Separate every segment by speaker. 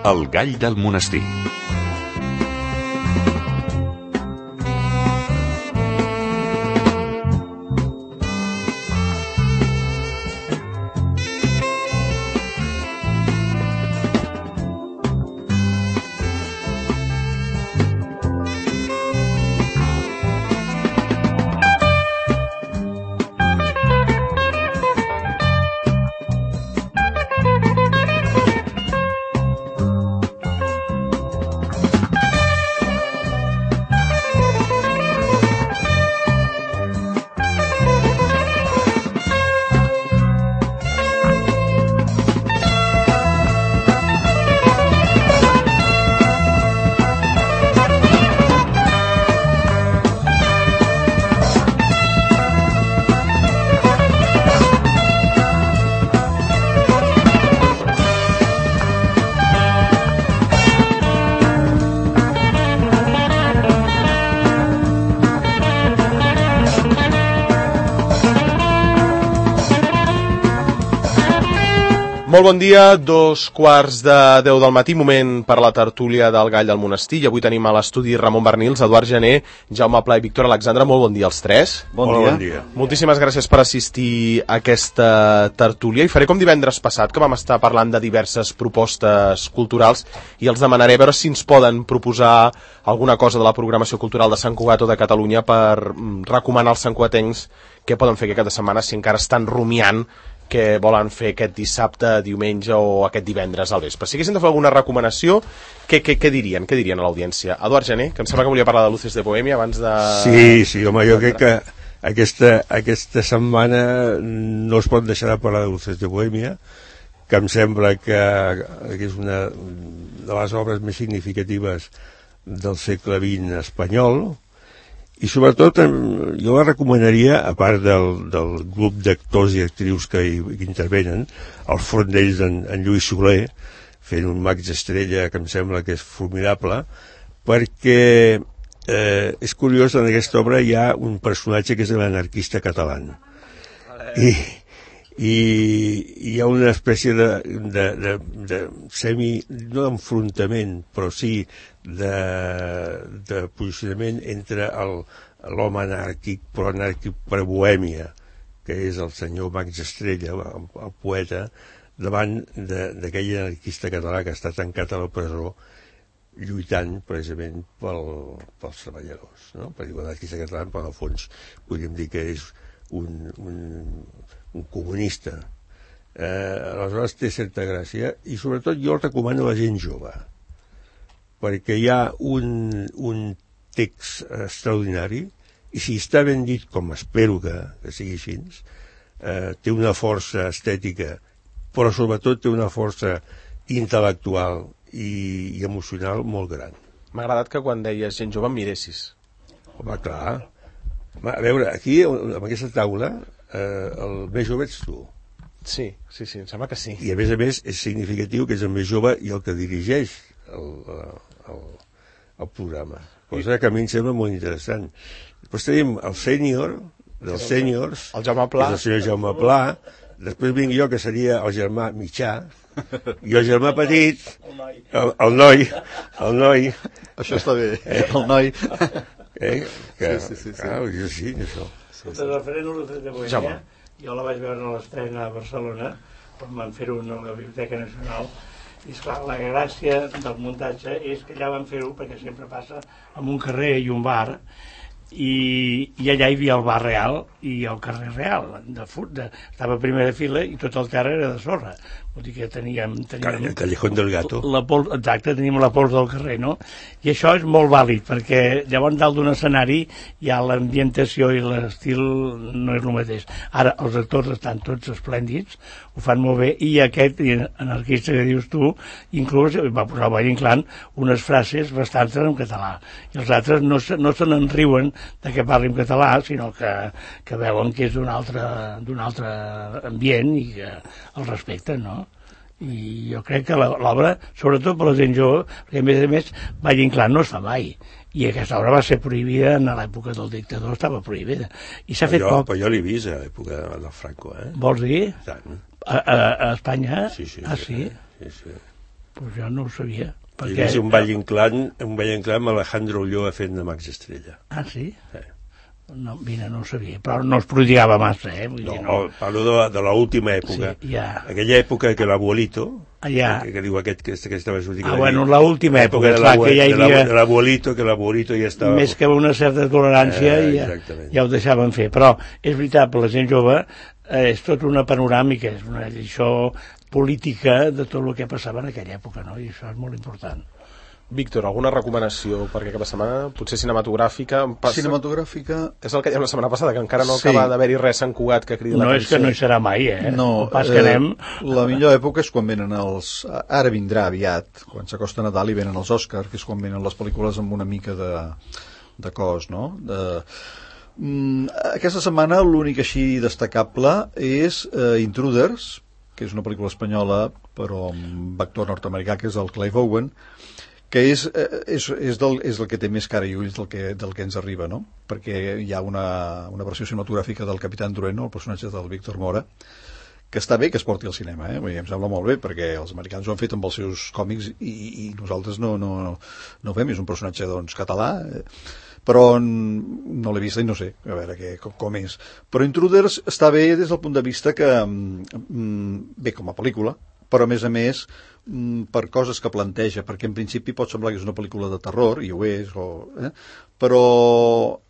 Speaker 1: El gall del monestir.
Speaker 2: Molt bon dia, 2:15 del matí, moment per la tertúlia del Gall del Monestir. I avui tenim a l'estudi Ramon Bernils, Eduard Gené, Jaume Pla i Víctor Alexandre. Molt bon dia als tres.
Speaker 3: Bon dia.
Speaker 2: Moltíssimes gràcies per assistir a aquesta tertúlia. I faré com divendres passat, que vam estar parlant de diverses propostes culturals, i els demanaré a veure si ens poden proposar alguna cosa de la programació cultural de Sant Cugat o de Catalunya per recomanar als santcugatencs què poden fer aquesta setmana si encara estan rumiant que volen fer aquest dissabte, diumenge o aquest divendres al vespre. Si haguessin de fer alguna recomanació, què dirien? Què dirien a l'audiència? Eduard Gené, que em sembla que volia parlar de Luces de Bohèmia abans de...
Speaker 3: Sí, home, jo crec que aquesta setmana no es pot deixar de parlar de Luces de Bohèmia, que em sembla que és una de les obres més significatives del segle XX espanyol. I sobretot jo la recomanaria, a part del grup d'actors i actrius que hi intervenen, al front d'ells en Lluís Soler, fent un Max Estrella que em sembla que és formidable, perquè és curiós, en aquesta obra hi ha un personatge que és l'anarquista català. I hi ha una espècie de semi, no d'enfrontament, però sí de posicionament entre l'home anàrquic, però anàrquic per Bohèmia, que és el senyor Max Estrella, el poeta, davant d'aquell anarquista català que està tancat a la presó lluitant precisament pels treballadors, no? Per dir l'anarquista català, però en el fons podríem dir que és un comunista. Aleshores té certa gràcia, i sobretot jo el recomano a la gent jove, perquè hi ha un text extraordinari, i si està ben dit, com espero que sigui així, té una força estètica, però sobretot té una força intel·lectual i emocional molt gran.
Speaker 2: M'ha agradat que quan deies gent jove em miressis.
Speaker 3: Home, clar. A veure, aquí, amb aquesta taula, el més jove ets tu.
Speaker 2: Sí, em sembla que sí.
Speaker 3: I a més és significatiu que és el més jove i el que dirigeix el programa. Cosa que a mi em sembla molt interessant. Després tenim el sènior, dels sèniors,
Speaker 2: el Jaume Pla,
Speaker 3: el senyor Jaume Pla. Després vinc jo, que seria el germà mitjà, i el germà petit, el noi.
Speaker 4: Això està bé, el noi.
Speaker 3: Sí. Clar, jo sí, això.
Speaker 5: Referent a Luces de Bohèmia, jo la vaig veure a l'estrena a Barcelona, quan van fer-ho a la Biblioteca Nacional, i esclar, la gràcia del muntatge és que allà van fer-ho perquè sempre passa en un carrer i un bar, i allà hi havia el bar real i el carrer real, estava a primera fila i tot el terra era de sorra. Vol dir que teníem
Speaker 3: el Callejón del Gato.
Speaker 5: Exacte, teníem la pols del carrer, no? I això és molt vàlid, perquè llavors dalt d'un escenari hi ha l'ambientació i l'estil no és el mateix. Ara, els actors estan tots esplèndids, ho fan molt bé, i aquest anarquista que dius tu, inclús va posar al Valle Inclán unes frases bastant en català, i els altres no se n'enriuen de que parli en català, sinó que veuen que és d'un altre ambient i que el respecten, no? I jo crec que l'obra, sobretot per la gent jove, perquè a més Valle Inclán no es fa mai, i aquesta obra va ser prohibida en l'època del dictador, estava prohibida, i s'ha fet poc.
Speaker 3: Però jo l'he vist a l'època del Franco,
Speaker 5: Vols dir?
Speaker 3: Tant.
Speaker 5: A Espanya?
Speaker 3: Sí.
Speaker 5: Ah, sí?
Speaker 3: Sí.
Speaker 5: Pues jo no ho sabia.
Speaker 3: Hi havia un ball inclán amb Alejandro Ulloa fent de Max Estrella.
Speaker 5: Ah, sí?
Speaker 3: Sí.
Speaker 5: No, mira, no ho sabia, però no es prodigava massa, Vull dir,
Speaker 3: No, parlo de l'última època.
Speaker 5: Sí, ja.
Speaker 3: Aquella època que l'abuelito,
Speaker 5: Ja.
Speaker 3: que diu aquest que estava sortint...
Speaker 5: Bueno, l'última època,
Speaker 3: de
Speaker 5: clar, que ja hi havia...
Speaker 3: De l'abuelito, que l'abuelito ja estava...
Speaker 5: Més que una certa tolerància, ja ho deixaven fer. Però és veritat, per la gent jove, és tot una panoràmica, és una lliçó política de tot el que passava en aquella època, no? I això és molt important.
Speaker 2: Víctor, alguna recomanació per aquesta setmana? Potser cinematogràfica?
Speaker 4: Cinematogràfica...
Speaker 2: És el que dèiem la setmana passada, que encara no acaba d'haver-hi res Sant Cugat que cridi l'atenció.
Speaker 5: No és que no hi serà mai,
Speaker 4: No,
Speaker 5: pas que anem...
Speaker 4: La millor època és quan venen els... Ara vindrà aviat, quan s'acosta Nadal i venen els Oscars, que és quan venen les pel·lícules amb una mica de cos, no? Aquesta setmana l'únic així destacable és Intruders, que és una pel·lícula espanyola, però amb actor nord-americà, que és el Clive Owen, que és el que té més cara i ulls del que ens arriba, no? Perquè hi ha una versió cinematogràfica del Capitán Trueno, el personatge del Víctor Mora, que està bé que es porti al cinema, Vull dir, em sembla molt bé, perquè els americans ho han fet amb els seus còmics i nosaltres no ho fem, és un personatge doncs, català, però no l'he vist i no sé, a veure com és. Però Intruders està bé des del punt de vista que, bé com a pel·lícula, però a més per coses que planteja, perquè en principi pot semblar que és una pel·lícula de terror, i ho és, però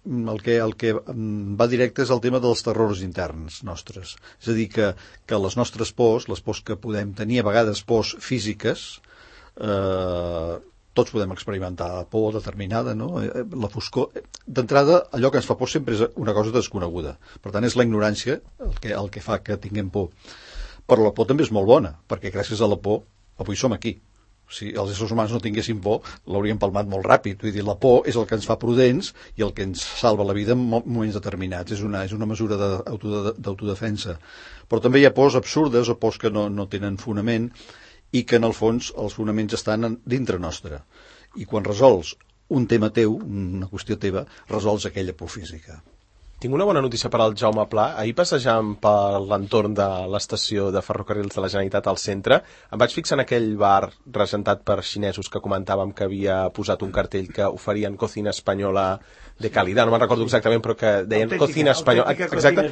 Speaker 4: el que va directe és el tema dels terrors interns nostres. És a dir, que les nostres pors, les pors que podem tenir, a vegades pors físiques, tots podem experimentar por determinada, no? La foscor. D'entrada, allò que ens fa por sempre és una cosa desconeguda. Per tant, és la ignorància el que fa que tinguem por. Però la por també és molt bona, perquè gràcies a la por avui som aquí. Si els éssers humans no tinguessin por, l'hauríem palmat molt ràpid. Vull dir, la por és el que ens fa prudents i el que ens salva la vida en moments determinats. És una mesura d'autodefensa. Però també hi ha pors absurdes o pors que no tenen fonament i que en el fons els fonaments estan dintre nostre. I quan resols un tema teu, una qüestió teva, resols aquella por física.
Speaker 2: Tinc una bona notícia per al Jaume Pla. Ahir passejant per l'entorn de l'estació de ferrocarrils de la Generalitat al centre, em vaig fixar en aquell bar regentat per xinesos que comentàvem que havia posat un cartell que oferien cocina espanyola de calidad, no me'n recordo exactament, però que deien cocina espanyola. Exacte.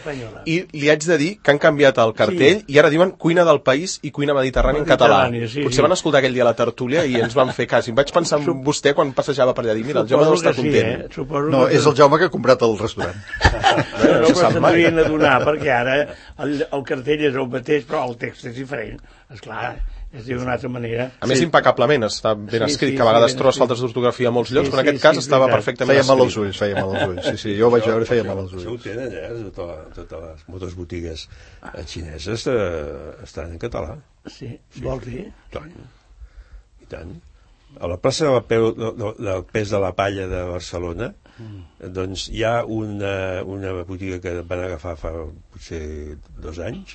Speaker 2: I li haig de dir que han canviat el cartell i ara diuen cuina del país i cuina mediterrània en català. Potser van escoltar aquell dia a la tertúlia i ens van fer cas. I em vaig pensar en vostè quan passejava per allà, dir, mira, el Jaume deu estar content.
Speaker 4: No, és el Jaume que ha comprat el restaurant.
Speaker 5: No se'n devien adonar, perquè ara el cartell és el mateix, però el text és diferent. Esclar, es diu d'una altra manera.
Speaker 2: A més, impecablement, està ben escrit, que a vegades trobes faltes d'ortografia a molts llocs, però en aquest cas estava perfectament escrit.
Speaker 4: Feia mal als ulls. Sí, jo ho vaig veure i feia mal als ulls.
Speaker 3: Això ho tenen, totes les botigues xineses estan en català.
Speaker 5: Sí, vols dir?
Speaker 3: I tant. A la plaça del Pes de la Palla de Barcelona, doncs hi ha una botiga que van agafar fa potser 2 anys,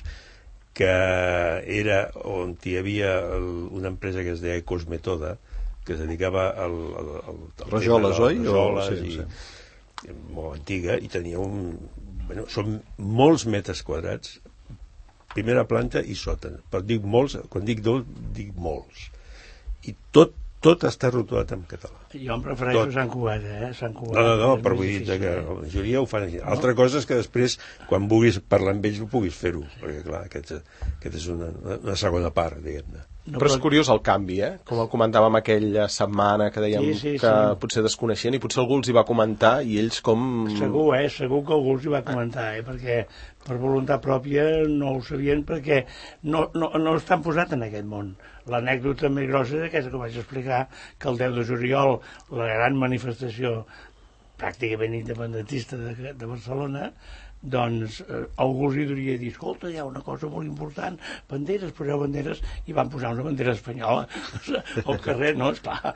Speaker 3: que era on hi havia una empresa que es deia Cosmetoda, que es dedicava al
Speaker 4: rajoles, oi?
Speaker 3: Sí. Molt antiga, i tenia són molts metres quadrats, primera planta i sòtan. Però dic molts, quan dic dic molts. I tot està rotulat en català.
Speaker 5: Jo em prefereixo Sant Cugat, Sant Cugat.
Speaker 3: No, però vull dir que la majoria ho fan així. Altra cosa és que després, quan vulguis parlar amb ells, ho puguis fer-ho, perquè clar, aquest és una segona part, diguem-ne.
Speaker 2: Però és curiós el canvi, com el comentàvem aquella setmana que dèiem que potser desconeixien i potser algú els hi va comentar i ells com...
Speaker 5: Segur que algú els hi va comentar, perquè per voluntat pròpia no ho sabien, perquè no estan posats en aquest món. L'anècdota més grossa és aquesta que vaig explicar, que el 10 de juliol, la gran manifestació pràcticament independentista de Barcelona, doncs algú els hi hauria dit, escolta, hi ha una cosa molt important, banderes, poseu banderes, i van posar una bandera espanyola al carrer. No, esclar,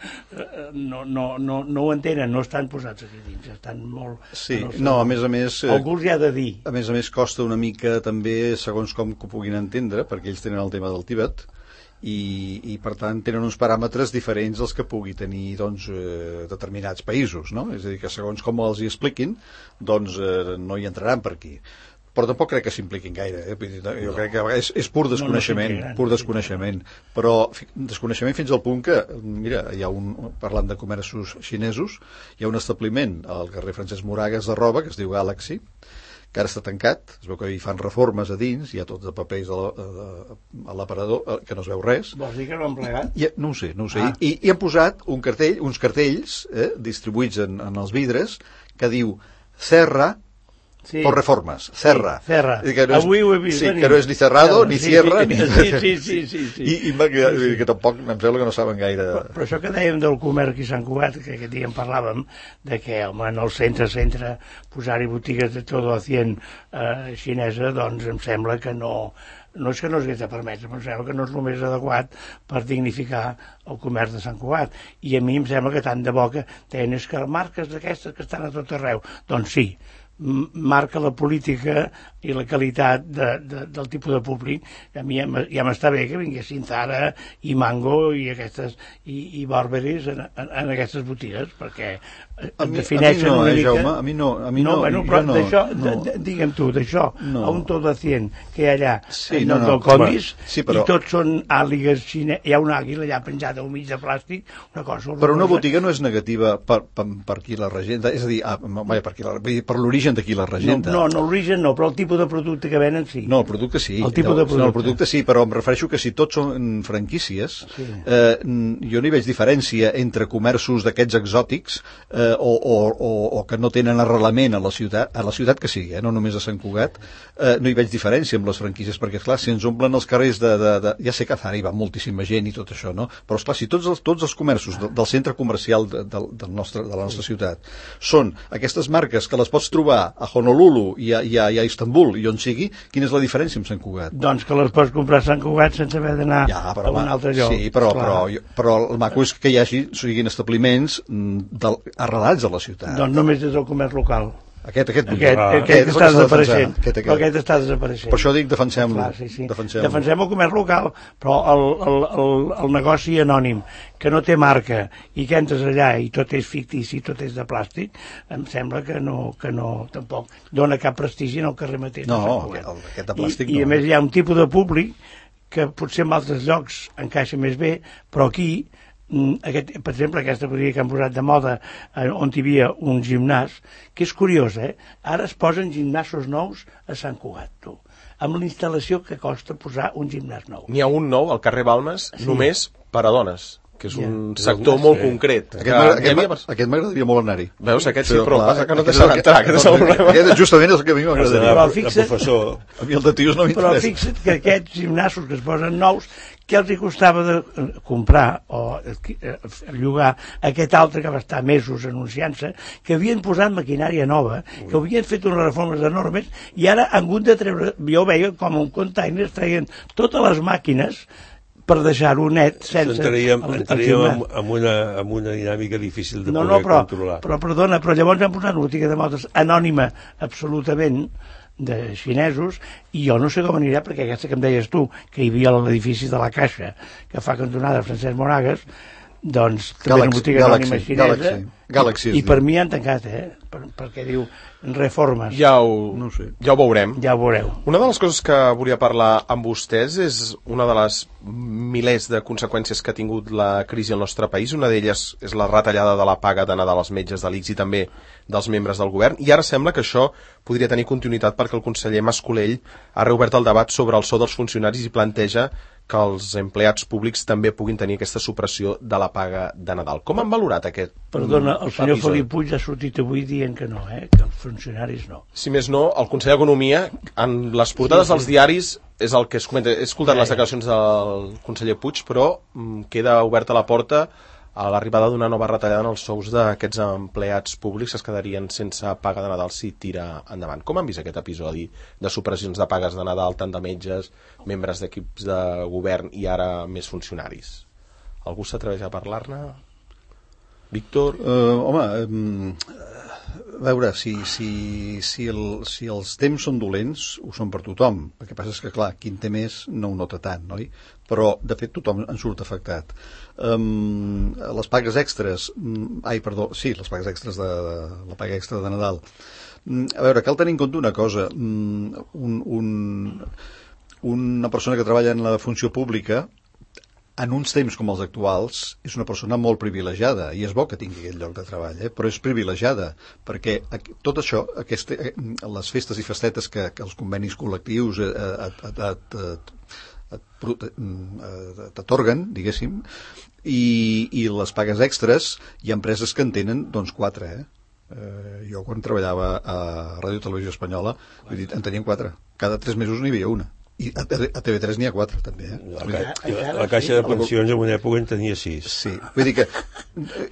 Speaker 5: no ho entenen, no estan posats aquí dins, estan molt...
Speaker 4: Sí, no, a més...
Speaker 5: Algú els hi ha de dir.
Speaker 4: A més, costa una mica també, segons com que ho puguin entendre, perquè ells tenen el tema del Tibet, i per tant tenen uns paràmetres diferents dels que pugui tenir doncs, determinats països, no? És a dir, que segons com els hi expliquin doncs no hi entraran per aquí. però tampoc crec que s'impliquin gaire. Vull dir, jo crec que és pur desconeixement, però desconeixement fins al punt que, mira, parlant de comerços xinesos, hi ha un establiment al carrer Francesc Moragas de roba que es diu Galaxy, que ara està tancat, es veu que hi fan reformes a dins, hi ha tots de papers a l'aparador, que no es veu res.
Speaker 5: Vols dir que no han plegat?
Speaker 4: No ho sé. I han posat uns cartells distribuïts en els vidres que diu Cerra por reformes, Cerra.
Speaker 5: Avui ho he vist venir.
Speaker 4: Que no és ni cerrado, ni cierra, ni...
Speaker 5: Sí.
Speaker 4: I que tampoc, em sembla que no saben gaire...
Speaker 5: Però això que dèiem del comerç aquí a Sant Cugat, que aquest dia en parlàvem, de que, home, en el centre, posar-hi botigues de todo a 100 xinesa, doncs em sembla que no és que no es hagués de permetre, però em sembla que no és el més adequat per dignificar el comerç de Sant Cugat. I a mi em sembla que tant de bo que tenen és que marques d'aquestes que estan a tot arreu. Doncs sí, marca la política i la qualitat del tipus de públic. A mi ja m'està bé que vinguessin Zara i Mango i Burberrys en aquestes botigues, perquè defineixen una mica...
Speaker 4: Jaume, a mi no.
Speaker 5: Però d'això, digue'm tu, d'això, a un tot de 100 que hi ha allà, del Condis, i tots són àligues xineses, hi ha una àguila allà penjada al mig de plàstic, una cosa horrorosa.
Speaker 4: Però una botiga no és negativa per qui la regenta, és a dir, per l'origen de qui la regenta.
Speaker 5: No, l'origen no, però el tipus de producte que venen sí.
Speaker 4: No, el producte sí.
Speaker 5: El producte
Speaker 4: sí, però em refereixo que si tots són franquícies, jo no hi veig diferència entre comerços d'aquests exòtics o que no tenen arrelament a la ciutat que sigui, no només a Sant Cugat, no hi veig diferència amb les franquícies, perquè, esclar, si ens omplen els carrers ja sé que a Zara hi va moltíssima gent i tot això, no? Però, esclar, si tots els comerços del centre comercial de la nostra ciutat són aquestes marques que les pots trobar a Honolulu i a Istanbul i on sigui, quina és la diferència amb Sant Cugat?
Speaker 5: Doncs que les pots comprar a Sant Cugat sense haver d'anar a un altre lloc.
Speaker 4: Sí, però el maco és que siguin establiments arrelats a la ciutat.
Speaker 5: Doncs només és el comerç local.
Speaker 4: Aquest
Speaker 5: està desapareixent. Aquest està desapareixent.
Speaker 4: Per això dic defensem-lo.
Speaker 5: Defensem el comerç local, però el negoci anònim, que no té marca i que entres allà i tot és fictici, tot és de plàstic, em sembla que no tampoc dona cap prestigi en el carrer mateix.
Speaker 4: No, aquest de plàstic no.
Speaker 5: I a més hi ha un tipus de públic que potser en altres llocs encaixa més bé, però aquí per exemple, aquesta botiga que han posat de moda on hi havia un gimnàs, que és curiós, ara es posen gimnasos nous a Sant Cugat, tu, amb la instal·lació que costa posar un gimnàs nou.
Speaker 2: N'hi ha un nou al carrer Balmes, només per a dones, que és un sector molt concret.
Speaker 4: Aquest m'agradaria molt anar-hi.
Speaker 2: Veus, aquest sí, però passa que no deixen entrar, aquest és el problema.
Speaker 4: Aquest justament és el que a mi m'agradaria.
Speaker 3: A
Speaker 4: mi el de tios no m'interessa.
Speaker 5: Però fixa't que aquests gimnasos que es posen nous, què els hi costava de comprar o llogar aquest altre que va estar mesos anunciant-se, que havien posat maquinària nova, que havien fet unes reformes enormes i ara han hagut de treure, jo veia com un container treien totes les màquines per deixar-ho net sense...
Speaker 3: Entraríem en una dinàmica difícil de poder controlar.
Speaker 5: Però perdona, però llavors han posat una botiga de modes anònima absolutament de xinesos, i jo no sé com anirà, perquè aquesta que em deies tu, que hi havia l'edifici de la Caixa, que fa cantonada Francesc Moragas, doncs també una botiga anònima xinesa, i per mi han tancat, perquè diu reformes.
Speaker 2: Ja ho veurem.
Speaker 5: Ja ho veureu.
Speaker 2: Una de les coses que volia parlar amb vostès és una de les milers de conseqüències que ha tingut la crisi al nostre país. Una d'elles és la retallada de la paga de Nadal als metges de l'ICS i també dels membres del govern, i ara sembla que això podria tenir continuïtat perquè el conseller Mas-Colell ha reobert el debat sobre el sou dels funcionaris i planteja que els empleats públics també puguin tenir aquesta supressió de la paga de Nadal. Com han valorat aquest
Speaker 5: Perdona, el senyor Felip Puig ha sortit avui dient que no, que els funcionaris no.
Speaker 2: Si més no, el conseller d'Economia, en les portades dels diaris, és el que es comenta. He escoltat les declaracions del conseller Puig, però queda oberta la porta a l'arribada d'una nova retallada en els sous d'aquests empleats públics que es quedarien sense paga de Nadal si tira endavant. Com han vist aquest episodi de supressions de pagues de Nadal, tant de metges, membres d'equips de govern i ara més funcionaris? Algú s'atreveix a parlar-ne? Víctor?
Speaker 4: A veure, si els temps són dolents, ho són per tothom. El que passa és que, clar, qui en té més no ho nota tant, oi? Però, de fet, tothom en surt afectat. Les pagues extres... les pagues extres de la paga extra de Nadal. A veure, cal tenir en compte una cosa. Una persona que treballa en la funció pública, en uns temps com els actuals, és una persona molt privilegiada, i és bo que tingui aquest lloc de treball, però és privilegiada, perquè tot això, les festes i festetes que els convenis col·lectius t'atorguen, diguéssim, i les pagues extres, hi ha empreses que en tenen, doncs, 4, jo quan treballava a Ràdio Televisió Espanyola, en teníem 4, cada 3 mesos n'hi havia una. I a TV3 n'hi ha 4, també.
Speaker 3: La caixa de pensions en una època en tenia 6.
Speaker 4: Sí, vull dir que...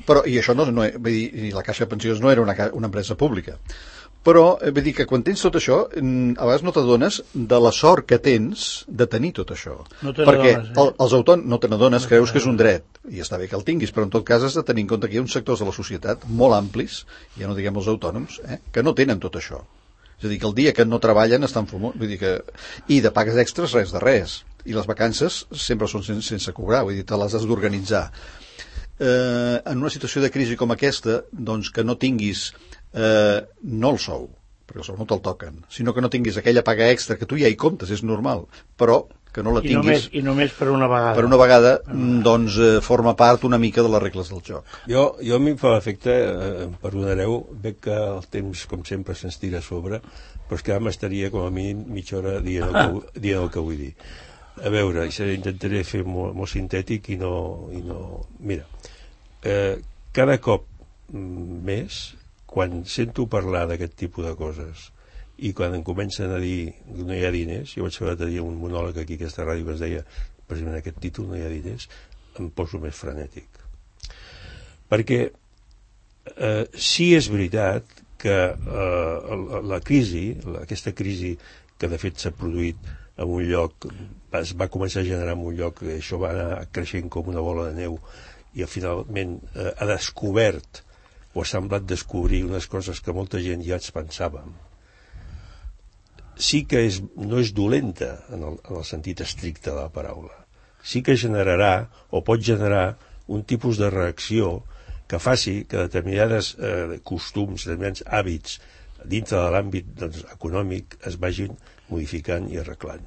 Speaker 4: Però, i això vull dir, la caixa de pensions no era una empresa pública. Però, vull dir que quan tens tot això, a vegades no t'adones de la sort que tens de tenir tot això.
Speaker 5: No te
Speaker 4: perquè
Speaker 5: n'adones,
Speaker 4: els autònoms no te n'adones, creus que és un dret, i està bé que el tinguis, però en tot cas has de tenir en compte que hi ha uns sectors de la societat molt amplis, ja no diguem els autònoms, que no tenen tot això. És a dir, que el dia que no treballen estan fumant, vull dir que... I de pagues extres res de res. I les vacances sempre són sense cobrar, vull dir, te les has d'organitzar. En una situació de crisi com aquesta, doncs que no tinguis no el sou, perquè el sou no te'l toquen, sinó que no tinguis aquella paga extra, que tu ja hi comptes, és normal, però que no la tinguis...
Speaker 5: I només per una vegada.
Speaker 4: Per una vegada, doncs, forma part una mica de les regles del joc.
Speaker 3: Jo a mi em fa l'efecte, perdonareu, veig que el temps, com sempre, se'ns tira a sobre, però és que ara m'estaria com a mínim mitja hora dient el que vull dir. A veure, intentaré fer molt sintètic i no... Mira, cada cop més, quan sento parlar d'aquest tipus de coses i quan em comencen a dir que no hi ha diners, jo vaig fer l'altre dia un monòleg aquí a aquesta ràdio que es deia precisament aquest títol, no hi ha diners, em poso més frenètic. Perquè sí és veritat que la crisi, aquesta crisi que de fet s'ha produït en un lloc, es va començar a generar en un lloc, això va anar creixent com una bola de neu i finalment ha descobert o ha semblat descobrir unes coses que molta gent ja es pensàvem. Sí que no és dolenta en el sentit estricte de la paraula. Sí que generarà o pot generar un tipus de reacció que faci que determinades costums, determinats hàbits dintre de l'àmbit econòmic es vagin modificant i arreglant.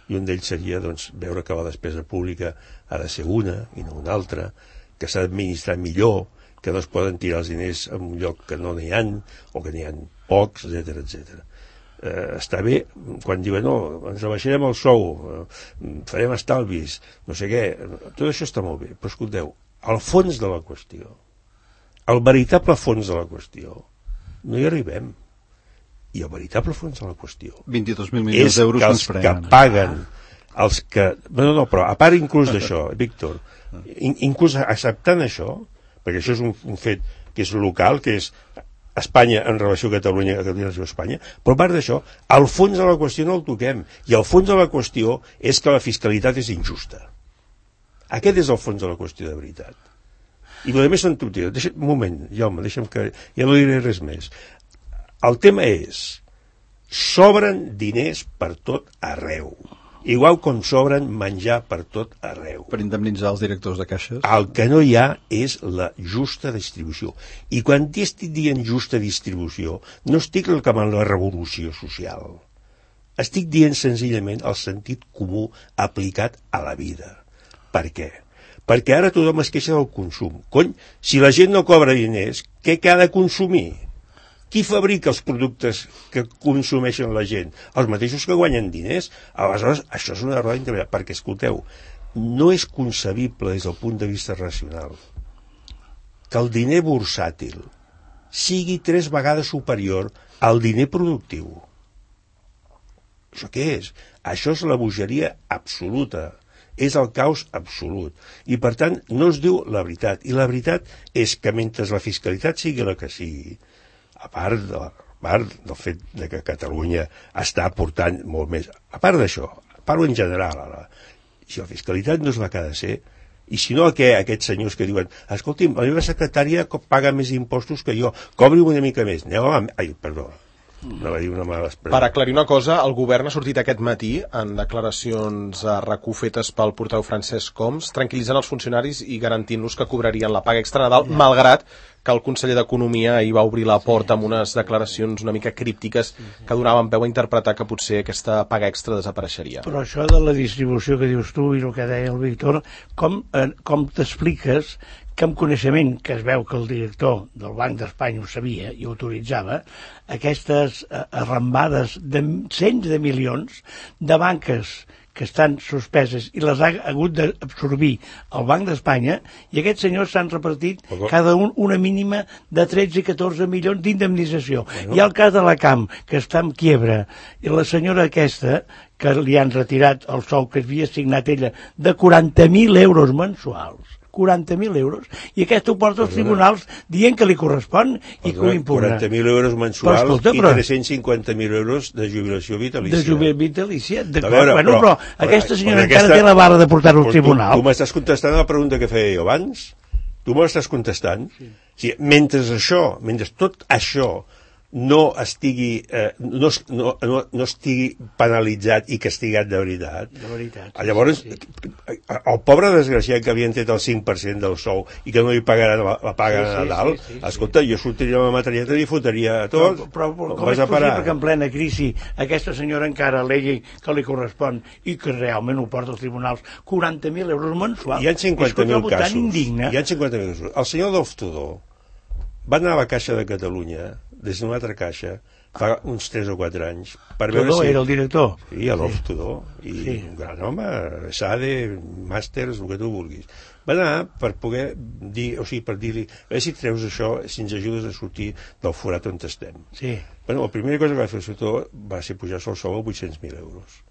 Speaker 3: I un d'ells seria veure que la despesa pública ha de ser una i no una altra, que s'ha d'administrar millor, que no es poden tirar els diners en un lloc que no n'hi ha o que n'hi ha pocs, etc. Està bé quan diuen no, ens rebaixarem el sou, farem estalvis, no sé què, tot això està molt bé, però escolteu, al fons de la qüestió, al veritable fons de la qüestió, no hi arribem. I el veritable fons de la qüestió
Speaker 4: 22.000 milions d'euros
Speaker 3: és que els que paguen, els que... No, però a part inclús d'això, Víctor, inclús acceptant això, perquè això és un fet que és local, que és Espanya en relació a Catalunya, en relació a Espanya, però a part d'això, al fons de la qüestió no el toquem, i el fons de la qüestió és que la fiscalitat és injusta. Aquest és el fons de la qüestió de veritat. I el més són tonteries. Un moment, Jaume, deixa'm que... Ja no diré res més. El tema és, sobren diners per tot arreu. Igual com sobren menjar per tot arreu.
Speaker 4: Per indemnitzar els directors de caixes.
Speaker 3: El que no hi ha és la justa distribució. I quan estic dient justa distribució, no estic reclamant la revolució social. Estic dient senzillament el sentit comú aplicat a la vida. Per què? Perquè ara tothom es queixa del consum. Cony, si la gent no cobra diners, què ha de consumir? Qui fabrica els productes que consumeixen la gent? Els mateixos que guanyen diners. Aleshores, això és una roda interminable, perquè, escolteu, no és concebible des del punt de vista racional que el diner bursàtil sigui 3 vegades superior al diner productiu. Això què és? Això és la bogeria absoluta. És el caos absolut. I, per tant, no es diu la veritat. I la veritat és que mentre la fiscalitat sigui la que sigui, a part del fet de que Catalunya està aportant molt més, a part d'això, parlo en general, si la fiscalitat no és la que ha de ser, i si no, aquests senyors que diuen, escolti'm, la meva secretària paga més impostos que jo, cobri una mica més, no va dir una mala expressió.
Speaker 2: Per aclarir una cosa, el govern ha sortit aquest matí en declaracions a RAC1 fetes pel portaveu Francesc Homs, tranquil·litzant els funcionaris i garantint-los que cobrarien la paga extra Nadal, malgrat que el conseller d'Economia hi va obrir la porta amb unes declaracions una mica críptiques que donaven peu a interpretar que potser aquesta paga extra desapareixeria.
Speaker 5: Però això de la distribució que dius tu i el que deia el Víctor, com t'expliques que amb coneixement, que es veu que el director del Banc d'Espanya ho sabia i ho autoritzava, aquestes arrambades de cents de milions de banques que estan suspeses i les ha hagut d'absorbir el Banc d'Espanya, i aquests senyors s'han repartit cada un una mínima de 13 i 14 milions d'indemnització. Hi ha el cas de la Camp, que està en quiebra, i la senyora aquesta, que li han retirat el sou que havia assignat ella de 40.000 euros mensuals, 40.000 euros, i aquest ho porta als tribunals dient que li correspon i que ho impugna.
Speaker 3: 40.000 euros mensuals i 350.000 euros de jubilació vitalícia.
Speaker 5: De jubilació vitalícia, d'acord. Bueno, però aquesta senyora encara té la barra de portar-ho al tribunal.
Speaker 3: Tu m'estàs contestant a la pregunta que feia jo abans? Tu me l'estàs contestant? Sí. Mentre tot això no estigui no estigui penalitzat i castigat de veritat. Llavors, el pobre desgraciat que havien tret el 5% del sou i que no li pagaran la paga de Nadal, escolta, jo sortiria amb la matralleta i li fotria tot.
Speaker 5: Però com és possible que en plena crisi aquesta senyora encara alegui que li correspon i que realment ho porta als tribunals 40.000 euros mensuals?
Speaker 3: Hi ha 50.000 casos. Hi ha 50.000 casos. El senyor Adolf Tudó va anar a la Caixa de Catalunya des d'una altra caixa fa uns 3 o 4 anys per veure
Speaker 5: Tudó era el director?
Speaker 3: Sí, Adolf Tudó, i un gran home, SADE, màsters, el que tu vulguis. Va anar per poder dir, o sigui, per dir-li, a veure si treus això, si ens ajudes a sortir del forat on estem.
Speaker 5: Sí.
Speaker 3: Bueno, la primera cosa que va fer el Tudó va ser pujar-se el sou a 800.000 euros.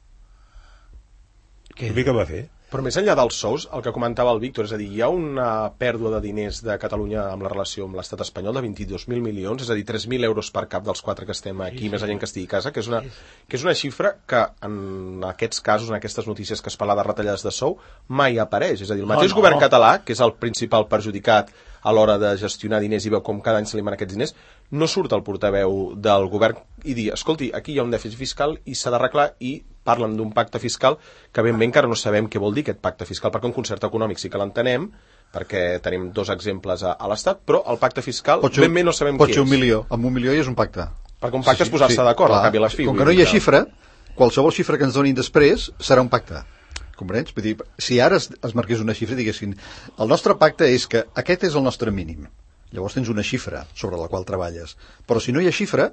Speaker 3: Què va fer?
Speaker 2: Però més enllà dels sous, el que comentava el Víctor, és a dir, hi ha una pèrdua de diners de Catalunya amb la relació amb l'estat espanyol de 22.000 milions, és a dir, 3.000 euros per cap dels 4 que estem aquí, més la gent que estigui a casa, que és una xifra que en aquests casos, en aquestes notícies que es parla de retallades de sou, mai apareix. És a dir, el mateix govern català, que és el principal perjudicat a l'hora de gestionar diners i veu com cada any se li manen aquests diners, no surt el portaveu del govern i dir, escolti, aquí hi ha un dèficit fiscal i s'ha d'arreglar, i parlen d'un pacte fiscal que ben bé encara no sabem què vol dir aquest pacte fiscal, perquè un concert econòmic sí que l'entenem, perquè tenim 2 exemples a l'Estat, però el pacte fiscal ben bé no sabem què és.
Speaker 4: Pot ser 1 milió, amb 1 milió ja és un pacte.
Speaker 2: Perquè un pacte és posar-se d'acord, al cap i a la fi.
Speaker 4: Com que no hi ha xifra, qualsevol xifra que ens donin després serà un pacte. Comprens? Vull dir, si ara es marqués una xifra, diguessin, el nostre pacte és que aquest és el nostre mínim. Llavors tens una xifra sobre la qual treballes. Però si no hi ha xifra,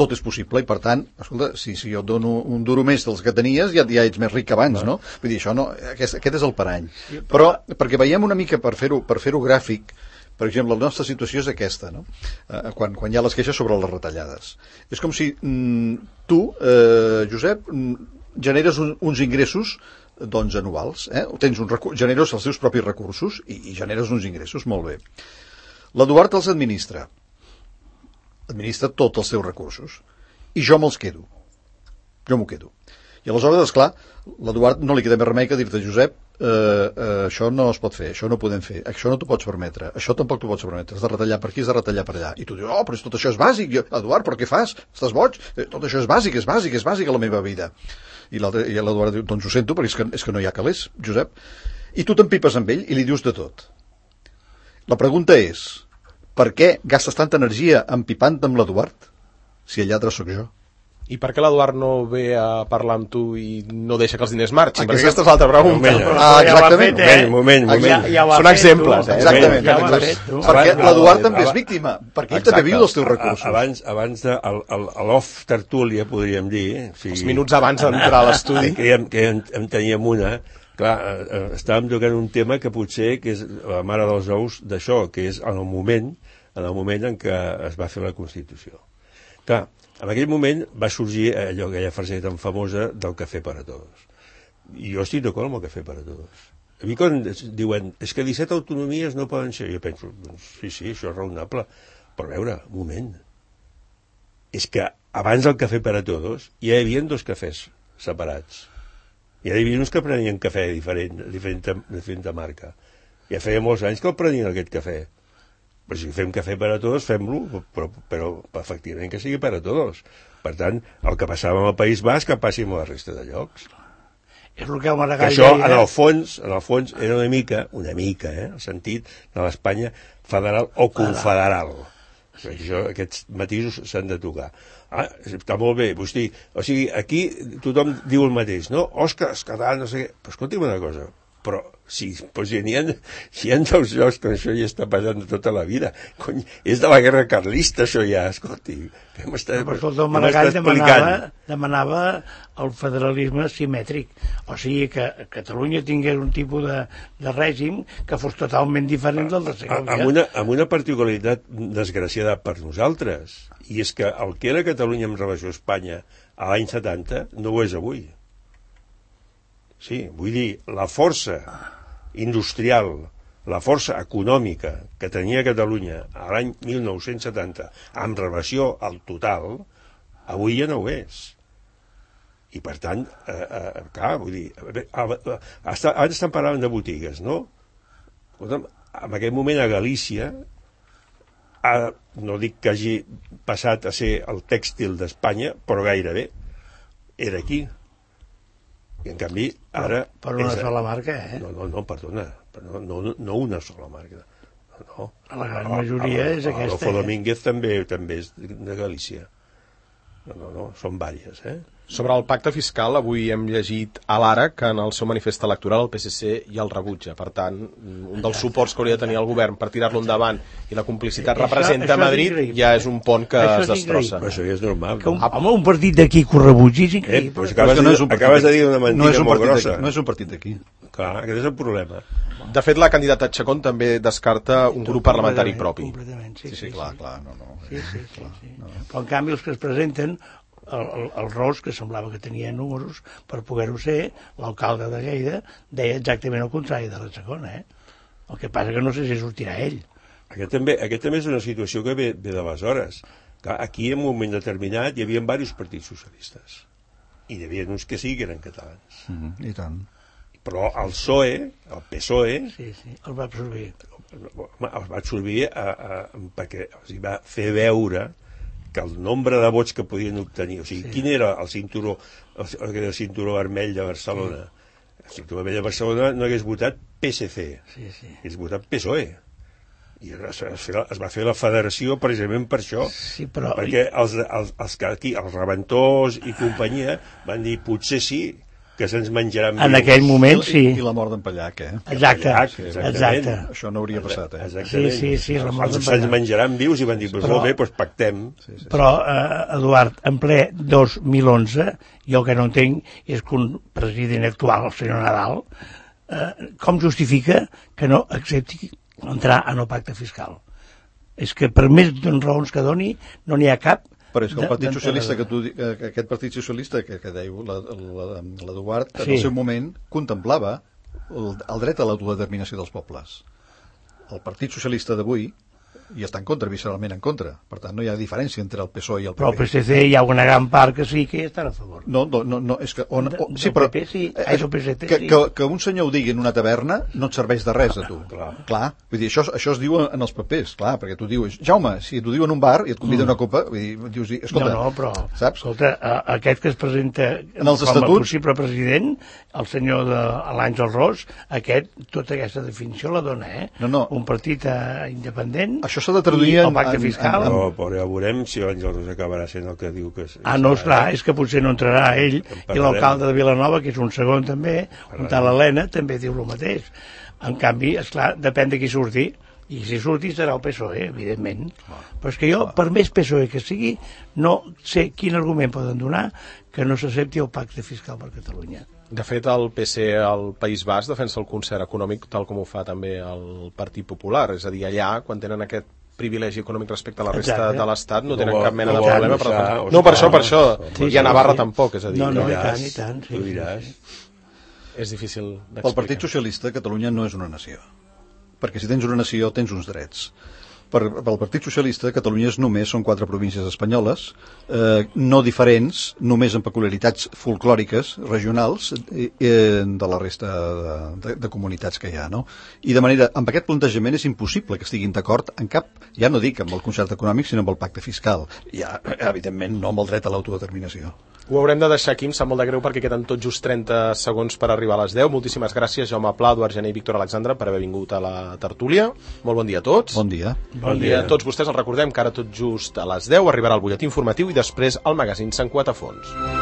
Speaker 4: tot és possible, i per tant, escolta, si jo et dono un duro més dels que tenies, ja ets més ric que abans, no? Vull dir, això no, aquest és el parany. Però, perquè veiem una mica, per fer-ho gràfic, per exemple, la nostra situació és aquesta, no? Quan hi ha les queixes sobre les retallades. És com si tu, Josep, generes uns ingressos doncs anuals, generes els teus propis recursos i generes uns ingressos, molt bé. L'Eduard els administra tots els seus recursos, i jo me'ls quedo. Jo m'ho quedo. I aleshores, esclar, l'Eduard no li queda més remei que dir-te, Josep, això no es pot fer, això no podem fer, això no t'ho pots permetre, això tampoc t'ho pots permetre, has de retallar per aquí, has de retallar per allà. I tu dius, però tot això és bàsic. Eduard, però què fas? Estàs boig? Tot això és bàsic a la meva vida. I l'Eduard diu, doncs ho sento, perquè és que no hi ha calés, Josep. I tu t'empipes amb ell i li dius de tot. La pregunta és, per què gastes tanta energia empipant amb l'Eduard si el lladre sóc jo?
Speaker 2: I per què l'Eduard no ve a parlar amb tu i no deixa que els diners marxin? Perquè aquesta és l'altra pregunta.
Speaker 4: Exactament.
Speaker 3: Moment.
Speaker 2: Són exemples,
Speaker 4: Exactament. Perquè l'Eduard també és víctima, perquè ell també viu dels teus recursos.
Speaker 3: Abans de l'off tertúlia, podríem dir,
Speaker 2: els minuts abans d'entrar a l'estudi,
Speaker 3: que en teníem una. Clar, estàvem tocant un tema que potser que és la mare dels ous d'això, que és en el moment en què es va fer la Constitució. Clar, en aquell moment va sorgir aquella frase tan famosa del cafè per a tots. I jo estic d'acord amb el cafè per a tots. A mi quan diuen, és que 17 autonomies no poden ser, jo penso, doncs, sí, això és raonable, però a veure, un moment, és que abans del cafè per a tots ja hi havia 2 cafès separats. Ja hi havia uns que prenien cafè diferent de marca. Ja feia molts anys que el prenien aquest cafè. Però si fem cafè per a tots, fem-lo, però efectivament que sigui per a tots. Per tant, el que passava amb el País Basc que passi amb la resta de llocs.
Speaker 5: És el que el
Speaker 3: Que
Speaker 5: Maragall
Speaker 3: això,
Speaker 5: deia.
Speaker 3: en el fons, era una mica, el sentit de l'Espanya federal o confederal. Aquests matisos s'han de tocar. Està molt bé, vostè, o sigui, aquí tothom diu el mateix, no? Òscar, català, no sé què. Però escolti'm una cosa, però si hi ha dos llocs que això ja està passant tota la vida, cony, és de la guerra carlista això ja, escolti, què m'està
Speaker 5: el Maragall demanava el federalisme simètric, o sigui que Catalunya tingués un tipus de règim que fos totalment diferent del de Segovia.
Speaker 3: Amb una particularitat desgraciada per nosaltres, i és que el que era Catalunya en relació a Espanya a l'any 70 no ho és avui. Sí, vull dir, la força industrial, la força econòmica que tenia Catalunya a l'any 1970 en relació al total, avui ja no ho és. I per tant, clar, vull dir, abans estan parlant de botigues, no? En aquest moment a Galícia, no dic que hagi passat a ser el tèxtil d'Espanya, però gairebé era aquí. I en canvi ara...
Speaker 5: Per una sola marca,
Speaker 3: No, perdona, no una sola marca. No.
Speaker 5: La gran majoria és aquesta.
Speaker 3: Adolfo Domínguez també és de Galícia. No, són vàries,
Speaker 2: Sobre el pacte fiscal, avui hem llegit a l'Ara que en el seu manifest electoral el PSC ja el rebutja. Per tant, un dels suports que hauria de tenir el govern per tirar-lo endavant i la complicitat representa Madrid ja és un pont que es destrossa.
Speaker 3: Però això ja és normal.
Speaker 5: Home, un partit d'aquí que ho rebutgi és increïble.
Speaker 3: Pues acabes de dir una mentida molt grossa.
Speaker 4: No és un partit d'aquí.
Speaker 3: Clar, aquest és el problema.
Speaker 2: De fet, la candidata Chacón també descarta un grup parlamentari propi.
Speaker 5: Completament, sí.
Speaker 4: Clar, no.
Speaker 5: Sí. Però en canvi els que es presenten, el Ros, que semblava que tenia números per poder-ho ser, l'alcalde de Lleida deia exactament el contrari de la segona, El que passa que no sé si sortirà ell.
Speaker 3: Aquest també és una situació que ve d'aleshores. Aquí, en un moment determinat, hi havia diversos partits socialistes. I hi havia uns que sí que eren catalans.
Speaker 4: I tant.
Speaker 3: Però el PSOE,
Speaker 5: Sí, el va absorbir.
Speaker 3: El va absorbir perquè els va fer veure que el nombre de vots que podien obtenir, o sigui, quin era el cinturó vermell de Barcelona? El cinturó vermell de Barcelona no hagués votat PSC, hagués votat PSOE. I es va fer la federació precisament per això, perquè els que aquí, els rebentors i companyia, van dir, potser sí, que se'ns menjaran vius.
Speaker 5: En aquell moment, sí.
Speaker 4: I la mort d'en Pallac,
Speaker 5: Exacte.
Speaker 4: Això no hauria passat,
Speaker 5: Sí, la mort d'en Pallac.
Speaker 3: Se'ns menjaran vius i van dir, molt bé, doncs pactem.
Speaker 5: Però, Eduard, en ple 2011, jo que no entenc és que un president actual, el senyor Nadal, com justifica que no accepti entrar en el pacte fiscal? És que per més raons que doni, no n'hi ha cap.
Speaker 4: Però és que el Partit Socialista, aquest Partit Socialista que dèiu l'Eduard, en el seu moment contemplava el dret a l'autodeterminació dels pobles. El Partit Socialista d'avui hi està en contra, visceralment en contra. Per tant, no hi ha diferència entre el PSOE i el PP.
Speaker 5: Però el PSC hi ha una gran part que sí que hi estan a favor.
Speaker 4: No, és que...
Speaker 5: Sí, però... PP sí, el PSC sí.
Speaker 4: Que un senyor ho digui en una taverna no et serveix de res a tu. Clar. Vull dir, això es diu en els papers, clar, perquè tu dius, Jaume, si t'ho diu en un bar i et convida una copa, vull dir, dius, escolta...
Speaker 5: No, però,
Speaker 4: saps?
Speaker 5: Escolta, aquest que es presenta com a possible president, el senyor de l'Àngel Ros, tota aquesta definició la dona,
Speaker 4: No.
Speaker 5: Un partit independent...
Speaker 4: Això s'ha de traduir en
Speaker 5: pacte fiscal.
Speaker 3: Però ja veurem si l'Àngel Ros acabarà sent el que diu que és.
Speaker 5: No, esclar, és que potser no entrarà ell, i l'alcalde de Vilanova, que és un segon també, un tal Helena, també diu el mateix. En canvi, esclar, depèn de qui surti, i si surti serà el PSOE, evidentment. Però és que jo, per més PSOE que sigui, no sé quin argument poden donar que no s'accepti el pacte fiscal per Catalunya.
Speaker 2: De fet, el PC al País Basc defensa el concert econòmic tal com ho fa també el Partit Popular. És a dir, allà, quan tenen aquest privilegi econòmic respecte a la resta de l'Estat, no tenen cap mena de problema. Per això. I a Navarra tampoc, és a dir.
Speaker 5: No, i tant.
Speaker 3: Tu diràs.
Speaker 2: És difícil d'explicar.
Speaker 4: Pel Partit Socialista, Catalunya no és una nació. Perquè si tens una nació, tens uns drets. Pel Partit Socialista, Catalunya són 4 províncies espanyoles, no diferents, només amb peculiaritats folclòriques, regionals, de la resta de comunitats que hi ha, no? I de manera, amb aquest plantejament és impossible que estiguin d'acord en cap, ja no dic amb el concert econòmic, sinó amb el pacte fiscal. Ja, evidentment, no amb el dret a l'autodeterminació.
Speaker 2: Ho haurem de deixar aquí, em sap molt de greu perquè queden tot just 30 segons per arribar a les 10. Moltíssimes gràcies, Jaume Pla, Eduard Gené i Víctor Alexandre, per haver vingut a la tertúlia. Molt bon dia a tots.
Speaker 4: Bon dia.
Speaker 2: Bon dia a tots vostès. Els recordem que ara tot just a les 10 arribarà el butlletí informatiu i després el magazín Sant Cuat a Fons.